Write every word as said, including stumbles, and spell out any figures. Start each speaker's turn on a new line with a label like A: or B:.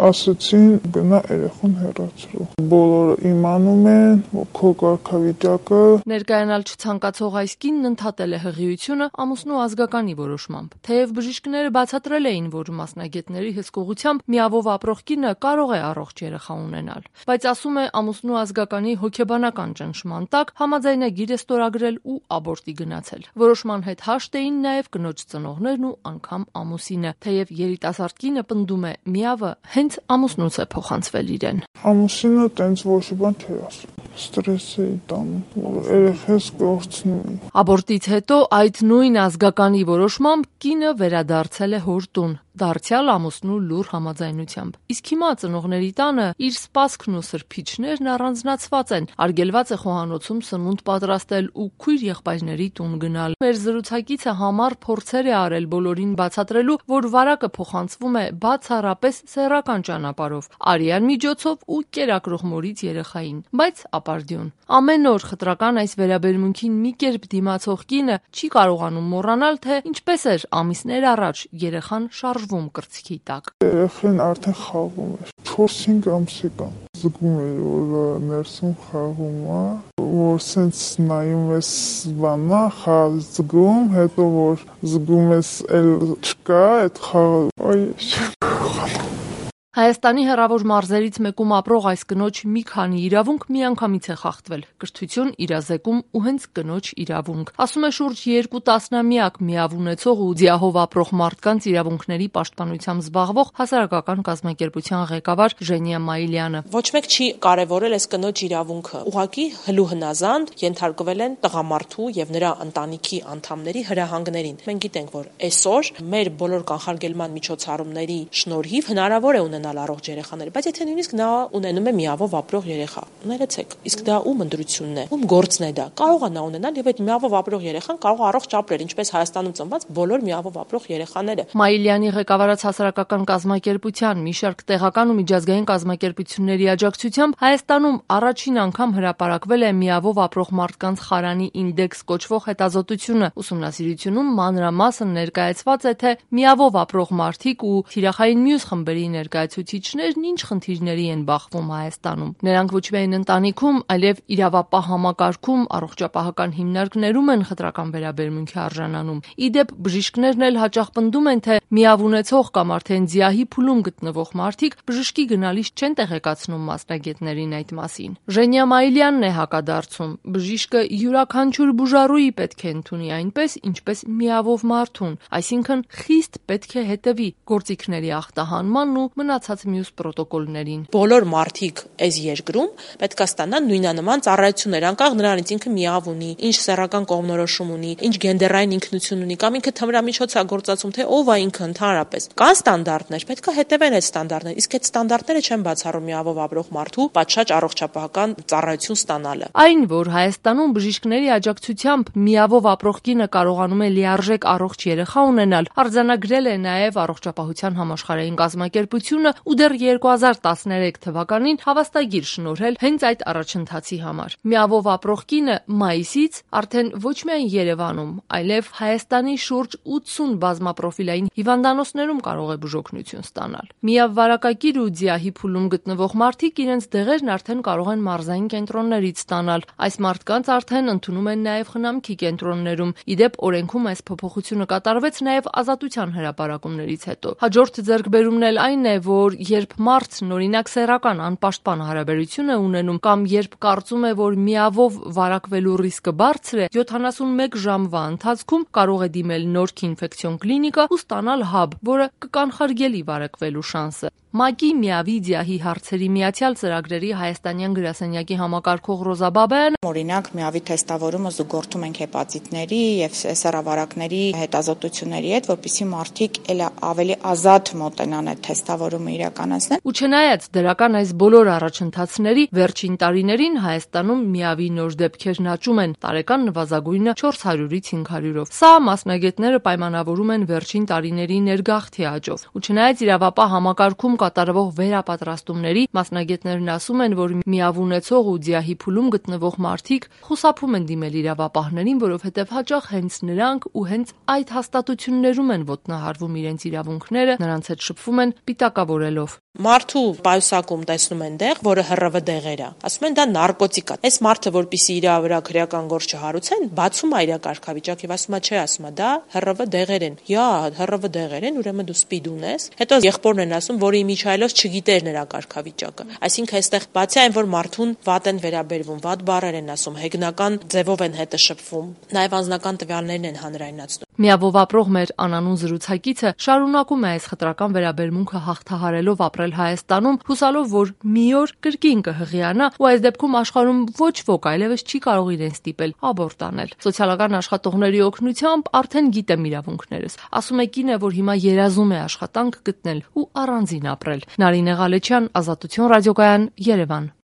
A: ասացին գնա երեխան հեռացրու։ Բոլորը իմանում են, որ քո կարգավիճակը։
B: Ներկայանալ չցանկացող այս կինն ընդհատել է հղիությունը ամուսնու ազգականի որոշմամբ։ Թեև բժիշկները բացատրել էին, որ մասնագետների հսկողությամբ միավով ապրող կինը կարող է առողջ երեխա ունենալ, բայց ասում է ամուսնու ազգականի հոգեբանական ճնշման տակ համաձայնագիր է ստորագրել ու աբորտի գնացել։ Որոշման հետ հաշտ էին նաև կնոջ ծնողներն ու անգամ ամուսինը, թեև երիտասարդ կինը պնդում է միավը հենց ամուսնուց է փոխանցվել իրեն։
A: Ամուսինը տենց ոչ բան չէր ասում, ստրես էի տանում, որ երեխես կորցնի։
B: Աբորտից հետո այդ նույն ազգականի որոշմամբ կինը վերադարձել է հոր տուն, դարձյալ ամուսնու լուռ համաձայնությամբ։ Իսկ հիմա ծնողների տանը իր սպասքն ու սրբիչներն առանձնացված են, արգելված է խոհանոցում սնունդ պատրաստել ու քույր եղբայրների տուն գնալ։ Մեր զրուցակիցը համառ փորձեր է արել բոլորին բացատրելու, որ վարակը փոխանցվում է բացառապես սեռական ճանապարհով, արյան միջոցով ու կերակրող մորից երեխային, բայց ապարդյուն։ Ամեն օր խտրական այս վերաբերմունքին մի կերպ դիմացող կինը չի կարողանում մոռանալ, թե ինչպես էր ամիսներ առաջ երեխան շարժվում կրծքի տակ։
A: Երեխան արդեն խաղում էր, չորս-հինգ ամսական։ Զգում էր, որ ներսում խաղում է, որ սենց նայում ես բանա, խաղ զգում, հետո որ զգում ես էլ չկա, այդ խաղը, այ
B: Հայաստանի հեռավոր մարզերից մեկում ապրող այս կնոջ մի քանի իրավունք միանգամից է խախտվել՝ կրթություն, իրազեկում ու հենց կնոջ իրավունք։ Ասում է շուրջ երկու տասնամյակ միավ ունեցող ու ձիահով ապրող մարդկանց իրավունքների պաշտպանությամբ զբաղվող հասարակական կազմակերպության ղեկավար Ժենիա Մայիլյանը։
C: Ոչ մեկ չի կարևորել այս կնոջ իրավունքը։ Ուղղակի հլու հնազանդ ենթարկվել են տղամարդու եւ նրա ընտանիքի անդամների հրահանգներին։ Մենք գիտենք, որ այսօր մեր բոլոր կանխարգելման միջոցառումների շնորհիվ հնարավոր է ունենալ առողջ երեխաներ, բայց եթե նույնիսկ նա ունենում է միավով ապրող երեխա, ներեցեք, իսկ դա ում ընտրությունն է, ում գործն է դա։ Կարող է նա ունենալ եւ այդ միավով ապրող երեխան կարող է առողջ ապրել, ինչպես Հայաստանում ծնված բոլոր միավով ապրող երեխաները։
B: Մայիլյանի ղեկավարած հասարակական կազմակերպության մի շարք տեղական ու միջազգային կազմակերպությունների աջակցությամբ Հայաստանում առաջին անգամ հրապարակվել է միավով ապրող մարդկանց խարանի ինդեքս կոչվող հետազոտությունը։ Ուսումնասիրությունում մանրամասն ներկայացված է, թե միավով ապրող մարդիկ ու թիրախային մյուս խմբերի ներկայացուցիչներն ինչ խնդիրների են բախվում Հայաստանում։ Նրանք ոչ միայն ընտանիքում, այլև իրավապահ համակարգում, առողջապահական հիմնարկներում են խտրական վերաբերմունքի արժանանում։ Ի դեպ, բժիշկներն էլ հաճախ պնդում են, թե միավ ունեցող կամ արդեն ձիահի փուլում գտնվող մարդիկ բժշկի գնալիս չեն տեղեկացնում մասնագետներին այդ մասին։ Ժենիա Մայիլյանն է հակադարձում. բժիշկը յուրաքանչյուր բուժառուի պետք է ընդունի այնպես, ինչպես միավով մարդուն, այսինքն խիստ պետք է հետևի գործիքների ախտահանման ու մնացած մյուս պրոտոկոլներին։
C: Բոլոր մարդիկ այս երկրում պետք է ստանան նույնանման ծառայություններ, անկախ նրանից ինքը միավ ունի, ինչ սեռական կողմնորոշում ունի, ինչ գենդերային ինքնություն ունի, կամ ինքը թմրամիջոց է գործածում, թե ով է ինքը ընդհանրապես։ Կան ստանդարտներ, պետք է հետևեն այդ ստանդարտները, իսկ այդ ստանդարտները չեն բացառում միավով ապրող մարդու պատշաճ առողջապահական ծառայություն ստանալը։
B: Այն, որ Հայաստանում բժիշկների աջակցությամբ միավով ապրող կինը կարողանում է լիարժեք առողջ երեխա ունենալ, արձանագրել է նաև առողջապահության համաշխարհային կազմակերպությունը ու դեռ երկու հազար տասներեք թվականին հավաստագիր շնորհել հենց այդ առաջընթացի համար։ Միավով ապրող կինը մայիսից արդեն ոչ միայն Երևանում, այլև Հայաստանի շուրջ ութսուն բազմապրոֆիլային հիվանդանոցներում կարող է բուժօգնություն ստանալ։ Միավ վարակակիր ու ձիահի փուլում գտնվող մարդիկ իրենց դեղերն արդեն կարող են մարզային կենտրոններից ստանալ։ Այս մարդկանց արդեն ընդունում են նաև խնամքի կենտրոններում։ Ի դեպ, օրենքում այս փոփոխությունը կատարվեց նաև ազատության հրապարակումներից հետո։ Հաջորդ ձեռքբերումն էլ այն է, որ երբ մարդն օրինակ սեռական անպաշտպան հարաբերություն է ունենում կամ երբ կարծում է, որ միավով վարակվելու ռիսկը բարձր է, յոթանասունմեկ ժամվա ընթացքում կարող է դիմել Նորքի ինֆեկցիոն կլինիկա ու ստանալ հաբ, որը կկանխարգելի վարակվելու շանսը։ ՄԱԿ-ի միավի ձիահի հարցերի միացյալ ծրագրերի հայաստանյան գրասենյակի համակարգող Ռոզա Բաբայանը
D: օրինակ միավի թեստավորումը զուգորդում ենք հեպատիտների եւ սեռավարակների հետազոտությունների հետ, որպեսզի մարդիկ էլ ավելի ազատ մոտենան այդ թեստավորումը իրականացնեն։
B: Ու չնայած դրական այս բոլոր առաջընթացների վերջին տարիներին Հայաստանում միավի նոր դեպքերն աճում են, տարեկան նվազագույնը չորս հարյուրից հինգ հարյուրով։ Սա մասնագետները պայմանավորում են վերջին տարիների ներգաղթի աճով։ Ու չնայած իրավապահ համակարգում կատարվող վերապատրաստումների մասնագետներն ասում են, որ միավ ունեցող ու ձիահի փուլում գտնվող մարդիկ խուսափում են դիմել իրավապահներին, որովհետև հաճախ հենց նրանք ու հենց այդ հաստատություններում են ոտնահարվում իրենց իրավունքները, նրանց հետ շփվում են պիտակավորելով։
C: Մարդու պայուսակում տեսնում են դեղ, որը ՀՌՎ դեղեր է։ Ասում են դա նարկոտիկ է։ Այս մարդը, որպեսզի իր վրա քրեական գործ չհարուցեն, բացում է իր կարգավիճակը եւ ասում է, չէ, ասում է, դա ՀՌՎ դեղեր են։ Յա, ՀՌՎ դեղեր են, ուրեմն դու սպիդ ունես։ Հետո եղբորն են ասում, որը իմիջայլոց չգիտեր նրա կարգավիճակը։ Այսինքն այստեղ բացի այն, որ մարդուն վատ են վերաբերվում, վատ բառեր են ասում, հեգնական ձևով են հետը շփվում, նաեւ անձնական տվյալներն են հանրայնացնում։
B: Միավով ապրող մեր անանուն զրուցակիցը շարունակում է այս խտրական վերաբերմունքը հաղթահարելով ապրել Հայաստանում, հուսալով, որ մի օր կրկին կհղիանա ու այս դեպքում աշխարհում ոչ ոք այլևս չի կարող իրեն ստիպել աբորտ անել։ Սոցիալական աշխատողների օգնությամբ արդեն գիտեմ իրավունքներս։ Ասում է կինը, որ հիմա երազում է աշխատանք գտնել ու առանձին ապրել։ Նարինե Ղալեչյան, Ազատություն ռադիոկայան, Երևան։